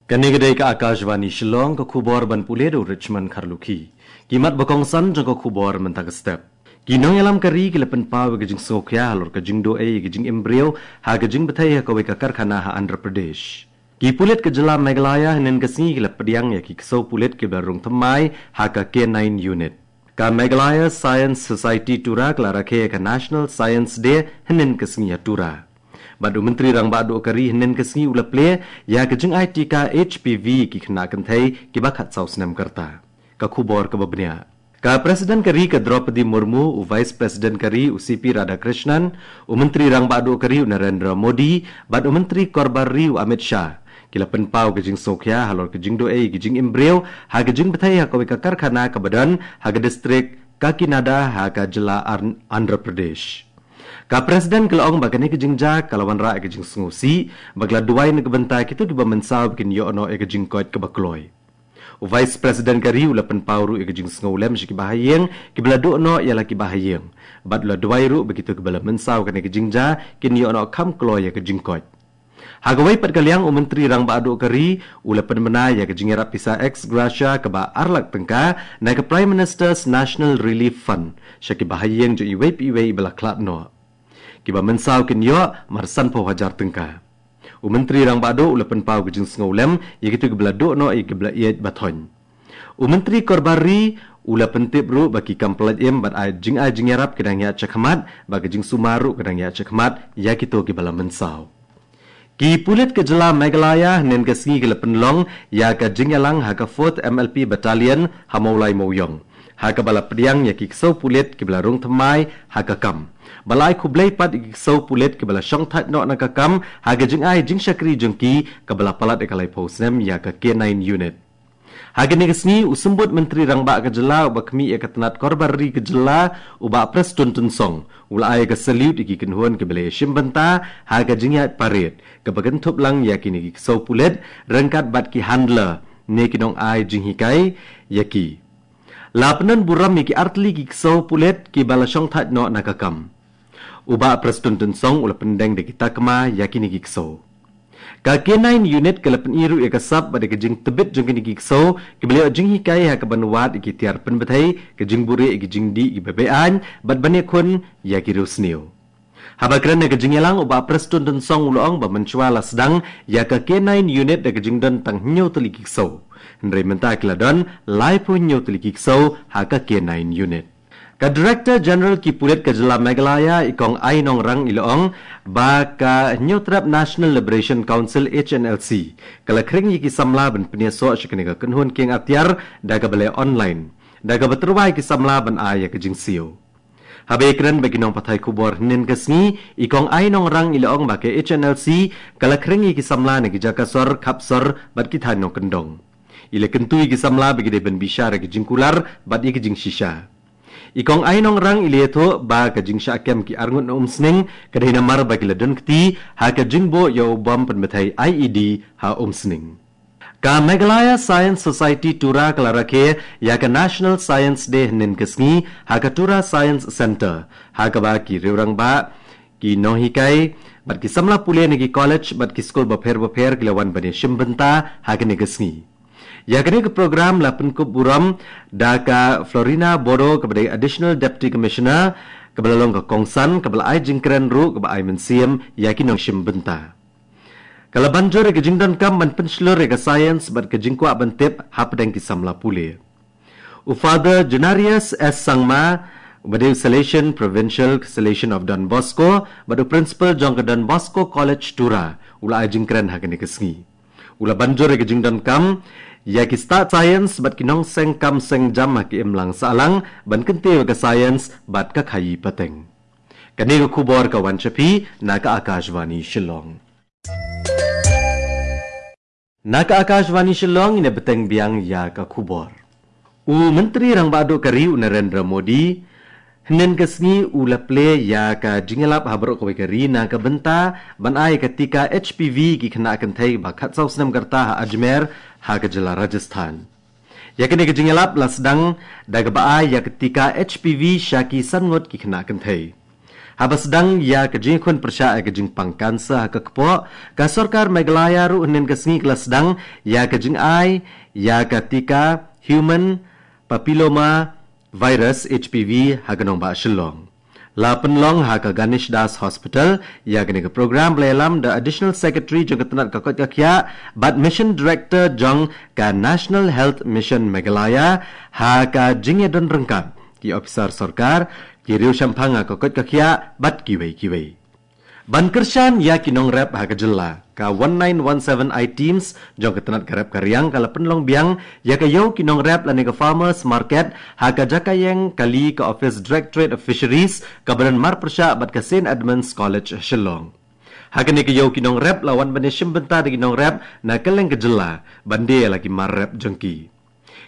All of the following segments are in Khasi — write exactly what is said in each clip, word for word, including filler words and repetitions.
Kane ka dei ka Akashvani Shillong, ka khubor ban pule da u Richmond Kharlukhi. Ki mat ba kongsan jong ka khubor mynta ka step. Ki nongïalam ka ri ki la pynpaw ïa ka jingsngewkhia halor ka jingduh ei ïa ka jingim briew ha ka jingbthei ha kawei ka karkhana ha Andhra Pradesh. Ki pulit ka jylla Meghalaya hynnin ka sngi ki la pdiang ïa ki ksew pulit kiba la rung thymmai ha ka K nine Unit. Ka Meghalaya Science Society Tura ka la rakhe ïa ka National Science Day hynnin ka sngi ha Tura. Bad u Myntri Rangbah Duh ka ri hynnin ka sngi u la plie ïa ka jingai tika H P V ki khynnah kynthei kiba khatsaw snem ka rta. Ka khubor kaba bniah. Ka President ka ri ka Droupadi Murmu, u Vice President ka ri u C P Radhakrishnan, u Myntri Rangbah Duh ka ri u Narendra Modi, bad u Myntri Korbar ri u Amit Shah ki la pynpaw ka jingsngewkhia halor ka jingduh ei ïa ka jingim briew ha ka jingbthei ha kawei ka karkhana kaba don ha ka distrik Kakinada ha ka jylla Ar-, Andhra Pradesh. Ka President ka la ong ba kane ka jingjia ka la wanrah ïa ka jingsngewsih, ba ka la duwai na ka bynta kito kiba mynsaw ba kin ïoh noh ïa ka jingkoit kaba kloi. U Vice President ka ri u la pynpaw ruh ïa ka jingsngewlem sha kiba ha ïing kiba la duh noh ïa la kiba ha ïing. Bad u la duwai ruh ba kito kiba la mynsaw kane ka jingjia kin ïoh noh kham kloi ïa ka jingkoit. Ha kawei pat ka liang, u Myntri Rangbah Duh ka ri u la pynbna ïa ka jingïarap pisa ex gratia kaba ar lak tyngka na ka Prime Minister's National Relief Fund sha kiba ha ïing jong iwei pa iwei iba la khlad noh. Kiba mynsaw kin ïoh mar sanphew hajar tyngka. U Myntri Rangbah Duh u la pynpaw ka jingsngewlem ïa kito kiba la duh noh ïa kiba la ïeit ba thoiñ. U Myntri Korbar ri u la pyntip ruh ba ki kam pyllait im bad ai jingai jingïarap ki dang ïaid shakhmat, bad ka jingsumar ruh ka dang ïaid shakhmat ïa kito kiba la mynsaw. Ki pulit ka jylla Meghalaya hynnin ka sngi ki la pynlong ïa ka jingïalang ha ka Fourth M L P Battalion ha Mawlai Mawiong, ha kaba la pdiang ïa ki ksew pulit kiba la rung thymmai ha ka kam. Ba la ai khublei pat ïa ki ksew pulit kiba la shongthait noh na ka kam ha ka jingai jingshakri jong ki kaba la palat ïa ka laiphew snem ïa ka K nine Unit. Ha kane ka sngi, u Symbud Myntri Rangbah ka jylla uba khmih ïa ka tnat Korbar ri ka jylla, u Bah Prestone Tynsong u la ai ïa ka salute ïa ki kynhun kiba la ïashim bynta ha ka jingïaid parade kaba kynthup lang ïa kine ki ksew pulit ryngkat bad ki handler ne ki nongai jinghikai ïa ki. La pynbun burom ïa ki artylli ki ksew pulit kiba la shongthait noh na ka kam. U Bah Prestone Tynsong u la pyndeng da ki takma ïa kine ki ksew. Ka K nine Unit ka la pyni ruh ïa ka sap bad ïa ka jingtbit jong kine ki ksew kiba la ïoh jinghikai ha kaban wad ïa ki tiar pynbthei, ka jingbuhrieh ïa ki jingdih kiba beaiñ bad ban ïakhun ïa ki riewsniew. Haba kren ha ka jingïalang, u Bah Prestone Tynsong u la ong ba mynshuwa la sdang ïa ka K nine Unit da ka jingdon tang hynñiew tylli ki ksew, hynrei mynta ki la don laiphew hynñiew tylli ki ksew ha ka K nine Unit. Ka Director General ki pulit ka jylla Meghalaya, i Kong Ainongrang, i la ong ba ka Hynñiewtrep National Liberation Council, H N L C, ka la khring ïa ki samla ban pynïasoh sha kane ka kynhun kieng atiar da kaba leh online, da kaba tyrwa ïa ki samla ban ai ïa ka jingsiew. Haba ïakren bad ki nongpathai khubor hynnin ka sngi, i Kong Ainongrang, i la ong ba ka H N L C ka la khring ïa ki samla na ki jaka sor, khap sor bad ki thaiñ nongkyndong. I la kyntu ïa ki samla ba ki dei ban bishar ïa ki jingkular bad ïa ki jingshisha. I Kong Ainongrang, i la ïathuh ba ka jingshah kem ki arngut na Umsning ka dei namar ba ki la don kti ha ka jingbuh ïa u bom pynbthei I E D ha Umsning. Ka Meghalaya Science Society Tura ka la rakhe ïa ka National Science Day hynnin ka sngi ha ka Tura Science Centre, ha kaba ki riewrangbah, ki nonghikai bad ki samla pule na ki college bad ki skul bapher bapher ki la wan ban ïashim bynta ha kane ka sngi. Ïa kane ka program la pynkup burom da ka Florina Bodo, kaba dei Additional Deputy Commissioner, kaba la long ka kongsan, kaba la ai jingkren ruh kaba ai mynsiem ïa ki nongshim bynta. Ka la ban jur ïa ka jingdonkam ban pynshlur ïa ka science bad ka jingkwah ban tip hapdeng ki samla pule. U Father Junarius S Sangma, uba dei u Salesian Provincial Salesian of Don Bosco bad u Principal jong ka Don Bosco College Tura, u la ai jingkren ha kane ka sngi. U la ban jur ïa ka jingdonkam ïa ki stad science bad ki nongseng kam seng jam ha ka imlang sahlang ban kyntiew ïa ka science bad ka khaïi pateng. Kane ka khubor ka wan sha phi na ka Akashvani Shillong. Na ka Akashvani Shillong, ngin ïa bteng biang ïa ka khubor. U Myntri Rangbah Duh ka ri u Narendra Modi hynnin ka sngi u la plie ïa ka jingïalap ha baroh kawei ka ri na ka bynta ban ai ka tika H P V ki khynnah kynthei ba khatsaw snem ka rta ha Ajmer, ha ka jylla Rajasthan. Ïa kane ka jingïalap la sdang da kaba ai ïa ka tika H P V sha ki san ngut ki khynnah kynthei. Haba sdang ïa ka jingkhun pyrshah ïa ka jingpang cancer ha ka kpoh, ka sorkar Meghalaya ruh hynnin ka sngi ka la sdang ïa ka jingai ïa ka tika human papilloma virus, H P V, ha ka nongbah Shillong. La pynlong ha ka Ganesh Das Hospital ïa kane ka program, ba la ïalam da Additional Secretary jong ka tnat ka koit ka khiah bad Mission Director jong ka National Health Mission Meghalaya, ha ka jingïadon ryngkat ki ophisar sorkar, ki riew shemphang ha ka koit ka khiah bad kiwei kiwei. Ban kyrshan ïa ki nongrep ha ka jylla, ka one nine one seven I teams jong ka tnat ka rep ka riang ka la pynlong biang ïa ka ïew ki nongrep lane ka farmers market ha ka jaka ïeng kali ka office Directorate of Fisheries kaba don marpyrshah bad ka St Edmund's College Shillong. Ha kane ka ïew ki nongrep la wan ban ïashim bynta da ki nongrep na kylleng ka jylla ban die ïa la ki mar rep jong ki.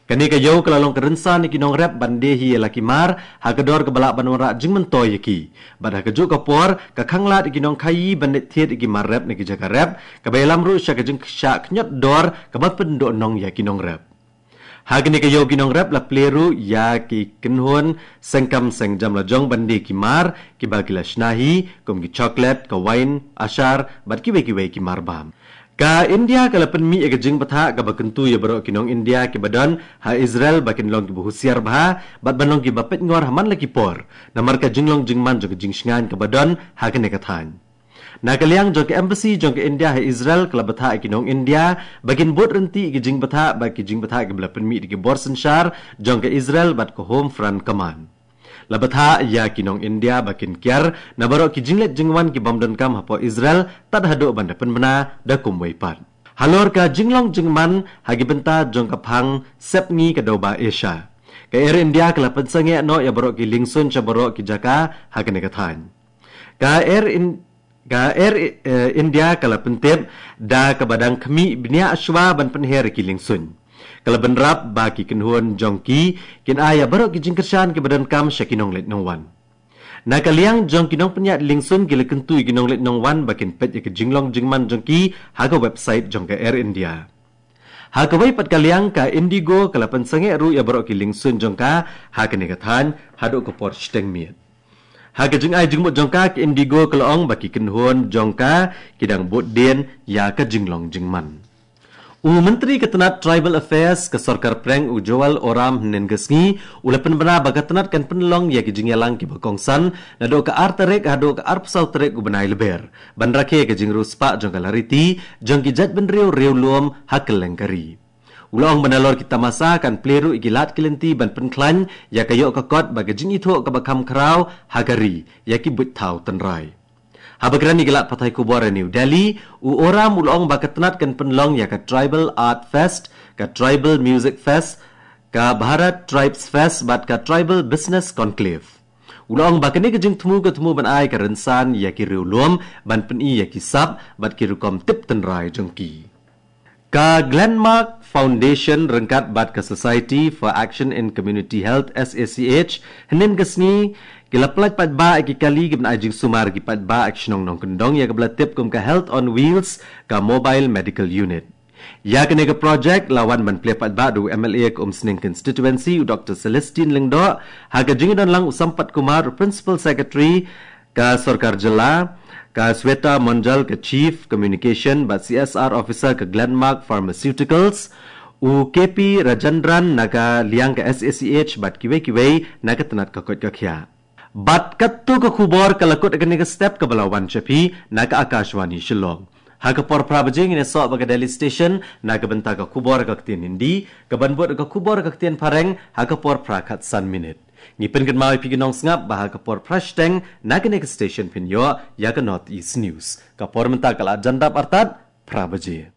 Kane ka ïew ka la long ka rynsan ïa ki nongrep ban die hi ïa la ki mar ha ka dor kaba lah ban wanrah jingmyntoi ïa ki. Bad ha kajuh ka por ka khanglad ïa ki nongkhaïi ban leit thied ïa ki mar rep na ki jaka rep, kaba ïalam ruh sha ka jingshah khñiot dor kaba pyndoh nong ïa ki nongrep. Ha kane ka ïew ki nongrep la plie ruh ïa ki kynhun seng kam seng jam la jong ban die ki mar kiba ki la shna hi, kum ki chocolate, ka wine, ashar bad kiwei kiwei ki mar bam. Ka India ka la pynmih ïa ka jingbthah kaba kyntu ïa baroh ki nong India kiba don ha Israel ba kin long kiba husiar bha bad ban long kiba peitngor ha man la ki por, namar ka jinglong jingman jong ka jingshngaiñ kaba don ha kane ka thaiñ. Na ka liang jong ka embassy jong ka India ha Israel ka la bthah ïa ki nong India ba kin bud ryntih ïa ki jingbthah bad ki jingbthah kiba la pynmih da ki bor synshar jong ka Israel bad ka Home Front Command. La bthah ïa ki nong India ba kin kiar na baroh ki jingleit jingwan ki bym donkam hapoh Israel tad haduh ban da pynbna da kumwei pat. Halor ka jinglong jingman ha ki bynta jong ka phang sepngi ka dewbah Asia, ka Air India ka la pynsangeh noh ïa baroh ki liengsuiñ sha baroh ki jaka ha kane ka thaiñ. Ka Air In- Ka Air, eh, India ka la pyntip da kaba dang khmih bniah shuwa ban pynher ïa ki liengsuiñ. Ka la bynrap ba ki kynhun jong ki kin ai ïa baroh ki jingkyrshan kiba donkam sha ki nongleit nongwan. Na ka liang jong ki nongpynïaid liengsuiñ ki la kyntu ïa ki nongleit nongwan ba kin peit ïa ka jinglong jingman jong ki ha ka website jong ka Air India. Ha kawei pat ka liang, ka Indigo ka la pynsangeh ruh ïa baroh ki liengsuiñ jong ka ha kane ka thaiñ haduh ka por shiteng miet. Ha ka jingai jingmut jong ka, ka Indigo ka la ong ba ki kynhun jong ka ki dang bud dien ïa ka jinglong jingman. U Myntri ka tnat Tribal Affairs ka Sorkar Pdeng, u Jual Oram, hynnin ka sngi u la pynbna ba ka tnat kan pynlong ïa ki jingïalang kiba kongsan naduh ka ar tarik haduh ka arphew saw tarik u bnai Lber, ban rakhe ïa ka jingriewspah jong ka lariti jong ki jaitbynriew riewlum ha kylleng ka ri. U la ong ba nalor ki tamasa kan plie ruh ïa ki lad ki lynti ban pynkhlaiñ ïa ka ïoh ka kot bad ka jingithuh kaba kham khraw ha ka ri ïa ki buit thaw tynrai. Haba kren ïa ki lad pathai khubor ha New Delhi, u Oram u la ong ba ka tnat kan pynlong ïa ka Tribal Art Fest, ka Tribal Music Fest, ka Bharat Tribes Fest bad ka Tribal Business Conclave. U la ong ba kane ka jingthmu ka thmu ban ai ka rynsan ïa ki riewlum ban pyni ïa ki sap bad ki rukom tip tynrai jong ki. Ka Glenmark Foundation ryngkat bad ka Society for Action in Community Health, S A C H, hynnin ka sngi ki la pynlait paidbah ïa ki kali kiban ai jingsumar ïa ki paidbah ha ka shnong Nongkyndong ïa kaba la tip kum ka Health on Wheels, ka Mobile Medical Unit. Ïa kane ka projek la wan ban plie paidbah da u M L A ka Umsning Constituency, u Doctor Celestine Lyngdoh, ha ka jingdon lang u Sampath Kumar, u Principal Secretary ka Sorkar Jylla, ka Sweta Monjal, ka Chief Communication bad C S R Officer ka Glenmark Pharmaceuticals, u K P Rajendran na ka liang ka S A C H bad kiwei kiwei na ka tnat ka koit ka khiah. Bad katto ka khubor ka la kut ha kane ka step kaba la wan sha phi na ka Akashvani Shillong. Ha ka por phra baje ngin ïasoh bad ka Delhi Station na ka bynta ka khubor ha ka ktien Hindi, kaban bud ka khubor ha ka ktien Phareng ha ka por phra khatsan minit. Ngi pynkynmaw ïa phi ki nongsngap ba ha ka por phra shiteng na kane ka station phin ïoh ïa ka North East News. Ka por mynta ka la jan dap artat phra baje.